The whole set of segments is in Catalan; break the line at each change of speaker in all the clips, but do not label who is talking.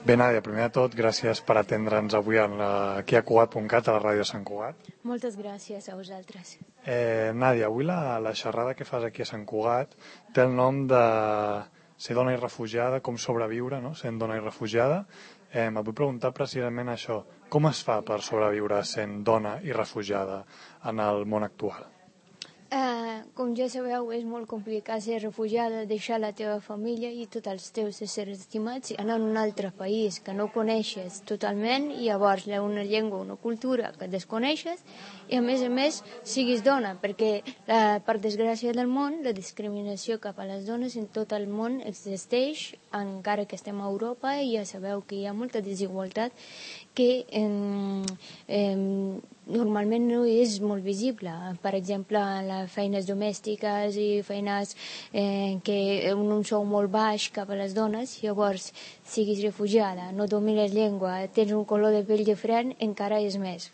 Bé, Nàdia, primer de tot, gràcies per atendre'ns avui aquí a Cugat.cat, a la ràdio de Sant Cugat.
Moltes gràcies a vosaltres.
Nàdia, avui la xerrada que fas aquí a Sant Cugat té el nom de ser dona i refugiada, com sobreviure, no?, sent dona i refugiada. Et vull preguntar precisament això. Com es fa per sobreviure sent dona i refugiada en el món actual?
Com ja sabeu, és molt complicat ser refugiada, deixar la teva família i tots els teus éssers estimats i anar a un altre país que no coneixes totalment i llavors una llengua, una cultura que desconeixes i a més siguis dona, perquè per desgràcia del món la discriminació cap a les dones en tot el món existeix, encara que estem a Europa i ja sabeu que hi ha molta desigualtat que normalment no és molt visible. Per exemple, les feines domèstiques i feines que un sou molt baix cap a les dones, llavors siguis refugiada, no domines llengua, tens un color de pell diferent, encara és més.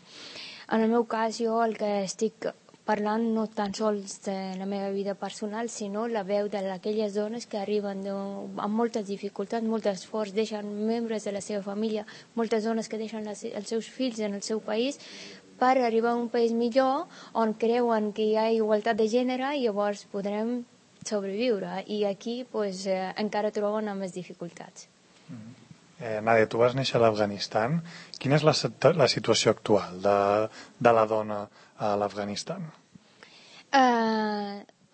En el meu cas, jo el que estic parlant no tan sols de la meva vida personal, sinó la veu d'aquelles dones que arriben amb moltes dificultats, molt esforç, deixen membres de la seva família, moltes dones que deixen els seus fills en el seu país per arribar a un país millor on creuen que hi ha igualtat de gènere i llavors podrem sobreviure. I aquí encara troben amb més dificultats.
Nàdia, tu vas néixer a l'Afganistan. Quina és la situació actual de la dona a l'Afganistan?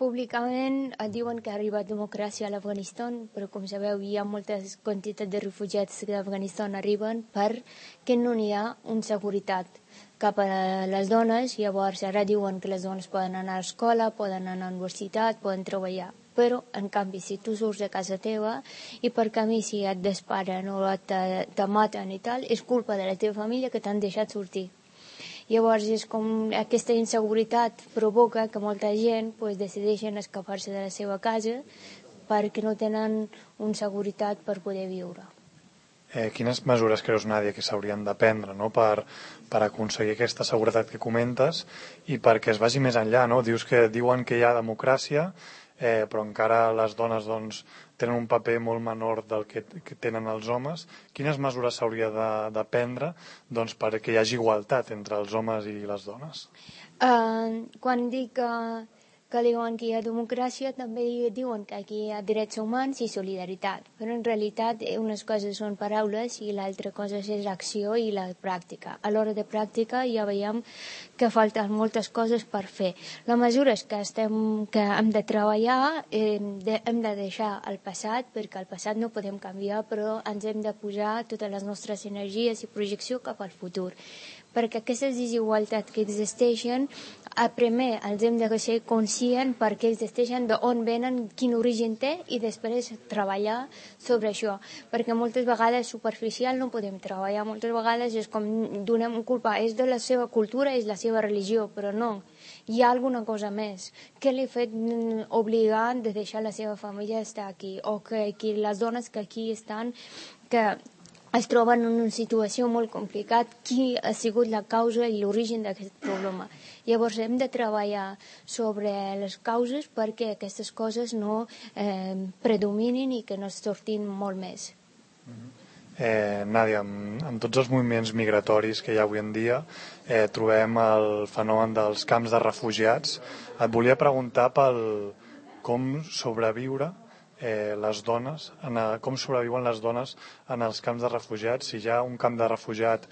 Públicament diuen que ha arribat democràcia a l'Afganistan, però com sabeu hi ha moltes quantitats de refugiats que d'Afganistan arriben perquè no hi ha una seguretat cap a les dones. Llavors ara diuen que les dones poden anar a l'escola, poden anar a la universitat, poden treballar. Però, en canvi, si tu surts de casa teva i per camí si et disparen o te maten i tal, és culpa de la teva família que t'han deixat sortir. Llavors és com aquesta inseguretat provoca que molta gent decideixen escapar-se de la seva casa perquè no tenen una seguretat per poder viure.
Quines mesures creus, Nàdia, que s'haurien de prendre, no?, per aconseguir aquesta seguretat que comentes i perquè es vagi més enllà, no? Diuen que hi ha democràcia, però encara les dones tenen un paper molt menor del que tenen els homes. Quines mesures s'hauria de prendre perquè hi hagi igualtat entre els homes i les dones?
Quan dic que diuen que hi ha democràcia, també diuen que aquí hi ha drets humans i solidaritat. Però en realitat unes coses són paraules i l'altra cosa és l'acció i la pràctica. A l'hora de pràctica ja veiem que falten moltes coses per fer. Les mesures que hem de treballar hem de deixar el passat, perquè el passat no podem canviar, però ens hem de posar totes les nostres energies i projecció cap al futur. Perquè aquestes desigualtats que existeixen, primer els hem de ser conscients perquè existeixen, d'on venen, quin origen té i després treballar sobre això. Perquè moltes vegades superficial no podem treballar, moltes vegades és com donem culpa, és de la seva cultura, és la seva religió, però no. Hi ha alguna cosa més. Què li ha fet obligant de deixar la seva família estar aquí? O que les dones que aquí estan, que es troben en una situació molt complicada, qui ha sigut la causa i l'origen d'aquest problema. Llavors hem de treballar sobre les causes perquè aquestes coses no predominin i que no sortin molt més.
Nàdia, amb tots els moviments migratoris que hi ha avui en dia trobem el fenomen dels camps de refugiats. Et volia preguntar com sobreviure les dones, com sobreviuen les dones en els camps de refugiats. Si ja un camp de refugiat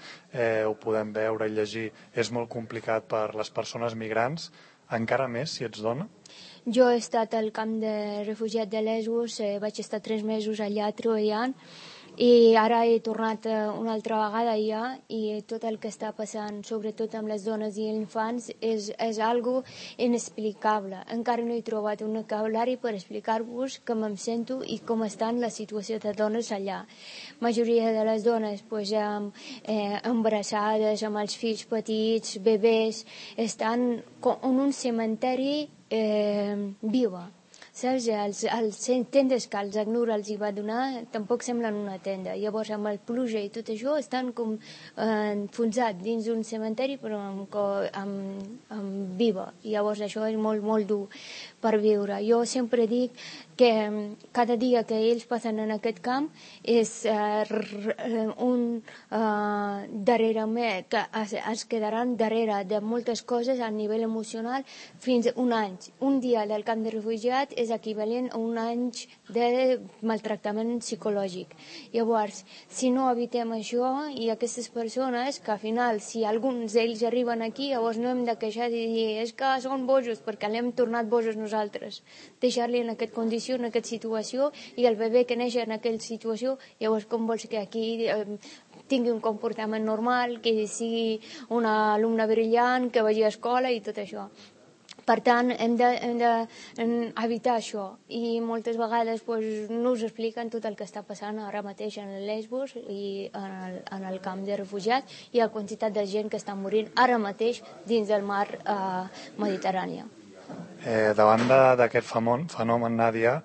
ho podem veure i llegir, és molt complicat per les persones migrants, encara més si ets dona?
Jo he estat al camp de refugiat de Lesbos, vaig estar 3 mesos allà treballant i ara he tornat una altra vegada allà i tot el que està passant, sobretot amb les dones i els infants, és algo inexplicable. Encara no he trobat un vocabulari per explicar-vos com em sento i com està la situació de dones allà. La majoria de les dones embarassades, amb els fills petits, bebès, estan en un cementeri viva. Saps? Els tendes que els ACNUR els hi va donar tampoc semblen una tenda. Llavors amb el pluja i tot això estan com enfonsats dins d'un cementeri però amb viva. Llavors això és molt, molt dur per viure. Jo sempre dic que cada dia que ells passen en aquest camp és darrere que es quedaran darrere de moltes coses a nivell emocional fins un any. Un dia del camp de refugiats és equivalent a un any de maltractament psicològic. Llavors, si no evitem això i aquestes persones, que al final, si alguns d'ells arriben aquí, llavors no hem de queixar i dir és que són bojos, perquè l'hem tornat bojos nosaltres. Deixar-li en aquesta condició, en aquesta situació, i el bebè que neix en aquella situació, llavors com vols que aquí tingui un comportament normal, que sigui una alumna brillant, que vagi a escola i tot això. Per tant, hem d'evitar això, i moltes vegades no us expliquen tot el que està passant ara mateix en Lesbos i en el camp de refugiats i la quantitat de gent que està morint ara mateix dins del mar Mediterrani.
Davant d'aquest fenomen, Nàdia,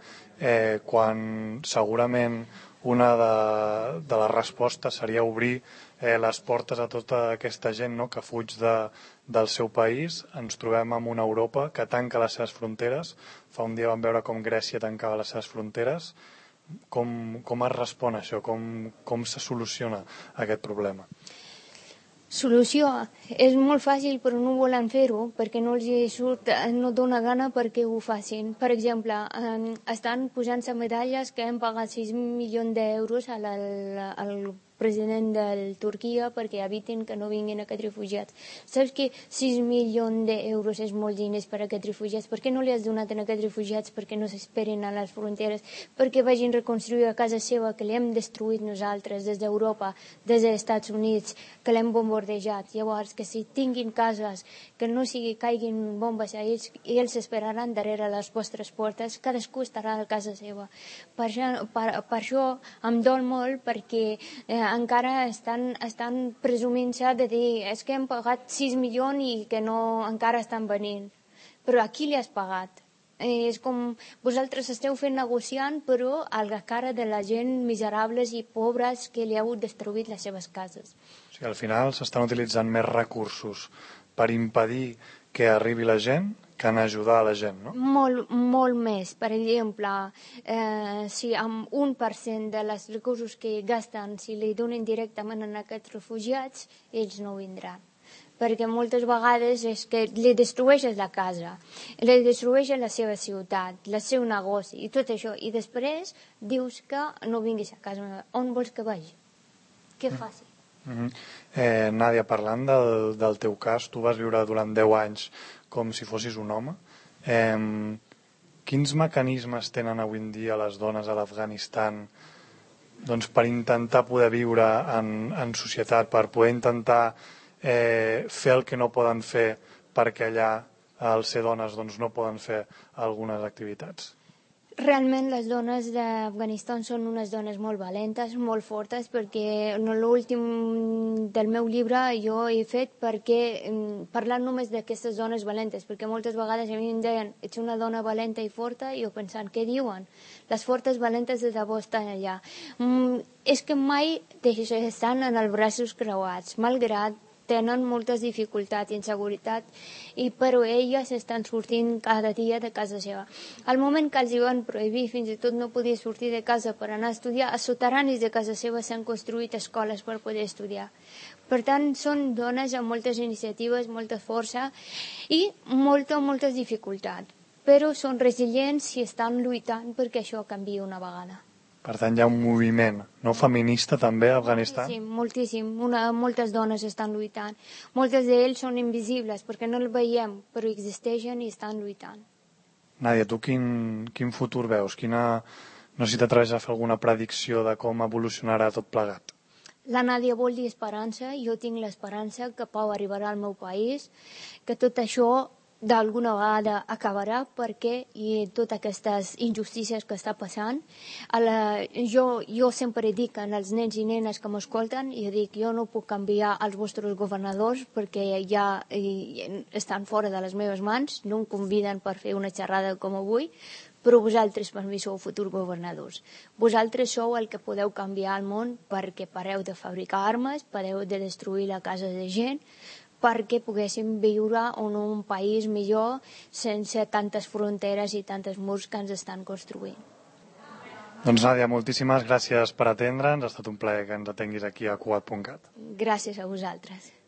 quan segurament una de les respostes seria obrir les portes a tota aquesta gent, no?, que fuig del seu país, ens trobem amb una Europa que tanca les seves fronteres. Fa un dia vam veure com Grècia tancava les seves fronteres. Com es respon a això? Com se soluciona aquest problema?
Solució. És molt fàcil, però no volen fer-ho perquè no els surt, no dona gana perquè ho facin. Per exemple, estan posant-se medalles que hem pagat 6 milions d'euros al president de Turquia perquè evitin que no vinguin aquests refugiats. Saps que 6 milions d'euros és molt diners per a aquests refugiats? Per què no li has donat a aquests refugiats perquè no s'esperen a les fronteres, perquè vagin a reconstruir a casa seva, que l'hem destruït nosaltres des d'Europa, des dels Estats Units, que l'hem bombardejat? Llavors, que si tinguin cases, que no caiguin bombes a ells, i ells esperaran darrere les vostres portes, cadascú estarà a casa seva. Per això em dol molt, perquè encara estan presumint-se de dir és que hem pagat 6 milions i que encara estan venint. Però a qui li has pagat? És com vosaltres esteu fent negociant, però a la cara de la gent miserables i pobres que li heu destruït les seves cases.
O sigui, al final s'estan utilitzant més recursos per impedir que arribi la gent que en ajudar a la gent, no?
Molt més. Per exemple, si amb 1% de els recursos que gasten, si li donen directament a aquests refugiats, ells no vindran. Perquè moltes vegades és que li destrueixes la casa, li destrueixes la seva ciutat, el seu negoci i tot això, i després dius que no vinguis a casa meva. On vols que vagi? Què faci?
Nàdia, parlant del teu cas, tu vas viure durant 10 anys com si fossis un home. Quins mecanismes tenen avui en dia les dones a l'Afganistan per intentar poder viure en societat, per poder intentar fer el que no poden fer perquè allà, al ser dones, no poden fer algunes activitats?
Realment les dones d'Afganistan són unes dones molt valentes, molt fortes, perquè en l'últim del meu llibre jo he fet parlant només d'aquestes dones valentes, perquè moltes vegades a mi em deien ets una dona valenta i forta, i jo pensant, què diuen? Les fortes valentes de debò estan allà. És que mai estan en els braços creuats, malgrat tenen moltes dificultats i inseguretat, però elles estan sortint cada dia de casa seva. Al moment que els van prohibir, fins i tot no podia sortir de casa per anar a estudiar, a soterranis de casa seva s'han construït escoles per poder estudiar. Per tant, són dones amb moltes iniciatives, molta força i moltes dificultats, però són resilients i estan lluitant perquè això canviï una vegada.
Per tant, hi ha un moviment no feminista també a Afganistan?
Moltíssim. Moltes dones estan lluitant. Moltes d'ells són invisibles perquè no el veiem, però existeixen i estan lluitant.
Nàdia, tu quin futur veus? No sé si t'atreveix a fer alguna predicció de com evolucionarà tot plegat.
La Nàdia vol dir esperança, i jo tinc l'esperança que Pau arribarà al meu país, que tot això d'alguna vegada acabarà, perquè totes aquestes injustícies que està passant, jo sempre dic als nens i nenes que m'escolten, i dic, jo no puc canviar els vostres governadors perquè ja estan fora de les meves mans, no em conviden per fer una xerrada com avui, però vosaltres per mi sou futurs governadors. Vosaltres sou el que podeu canviar el món, perquè pareu de fabricar armes, pareu de destruir la casa de gent, perquè poguéssim viure en un país millor sense tantes fronteres i tantes murs que ens estan construint.
Doncs Nàdia, moltíssimes gràcies per atendre'ns, ha estat un plaer que ens atenguis aquí a Cugat.cat.
Gràcies a vosaltres.